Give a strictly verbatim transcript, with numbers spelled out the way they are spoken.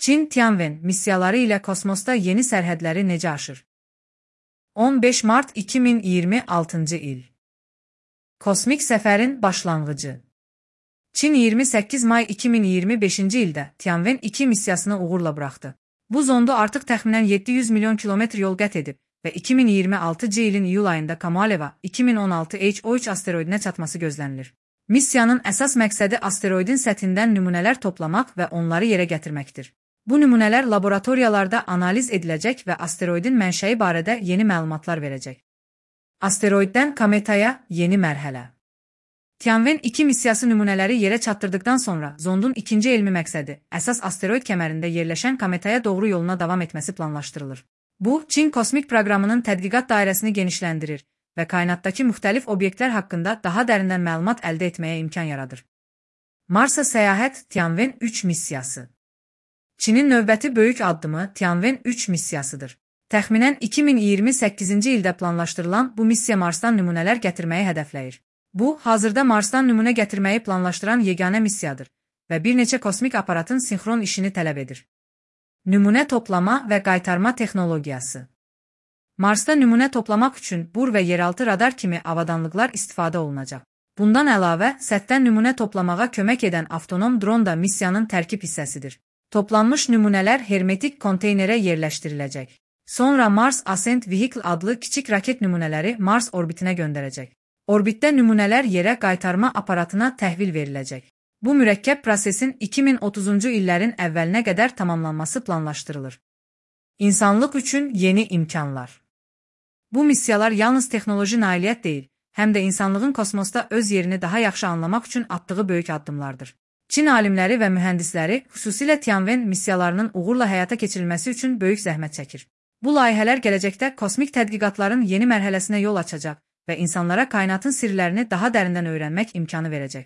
Çin Tianwen missiyaları ilə kosmosda yeni sərhədləri necə aşır? on beş mart iki min iyirmi altıncı il. Kosmik səfərin başlanğıcı. Çin iyirmi səkkiz may iki min iyirmi beşinci ildə Tianwen iki missiyasını uğurla buraxdı. Bu zonda artıq təxminən yeddi yüz milyon kilometr yol qət edib və iki min iyirmi altıncı ilin iyul ayında Kamaleva iki min on altı H O üç asteroidinə çatması gözlənilir. Missiyanın əsas məqsədi asteroidin səthindən nümunələr toplamaq və onları yerə gətirməkdir. Bu nümunələr laboratoriyalarda analiz ediləcək və asteroidin mənşəyi barədə yeni məlumatlar verəcək. Asteroiddən kometaya yeni mərhələ. Tianwen iki missiyası nümunələri yerə çatdırdıqdan sonra zondun ikinci elmi məqsədi əsas asteroid kəmərində yerləşən kometaya doğru yoluna davam etməsi planlaşdırılır. Bu, Çin kosmik proqramının tədqiqat dairəsini genişləndirir və kainatdakı müxtəlif obyektlər haqqında daha dərindən məlumat əldə etməyə imkan yaradır. Marsa səyahət Tianwen üç missiyası. Çinin növbəti böyük addımı Tianwen üç missiyasıdır. Təxminən iki min iyirmi səkkizinci ildə planlaşdırılan bu missiya Marsdan nümunələr gətirməyi hədəfləyir. Bu, hazırda Marsdan nümunə gətirməyi planlaşdıran yeganə missiyadır və bir neçə kosmik aparatın sinxron işini tələb edir. Nümunə toplama və qaytarma texnologiyası. Marsda nümunə toplamaq üçün bur və yeraltı radar kimi avadanlıqlar istifadə olunacaq. Bundan əlavə, səthdən nümunə toplamağa kömək edən avtonom dron da missiyanın tərkib hissəsidir. Toplanmış nümunələr hermetik konteynerə yerləşdiriləcək. Sonra Mars Ascent Vehicle adlı kiçik raket nümunələri Mars orbitinə göndərəcək. Orbitdə nümunələr yerə qaytarma aparatına təhvil veriləcək. Bu mürəkkəb prosesin iki min otuzuncu illərin əvvəlinə qədər tamamlanması planlaşdırılır. İnsanlıq üçün yeni imkanlar. Bu missiyalar yalnız texnoloji nailiyyət deyil, həm də insanlığın kosmosda öz yerini daha yaxşı anlamaq üçün atdığı böyük addımlardır. Çin alimləri və mühəndisləri xüsusilə Tianwen missiyalarının uğurla həyata keçirilməsi üçün böyük zəhmət çəkir. Bu layihələr gələcəkdə kosmik tədqiqatların yeni mərhələsinə yol açacaq və insanlara kainatın sirlərini daha dərindən öyrənmək imkanı verəcək.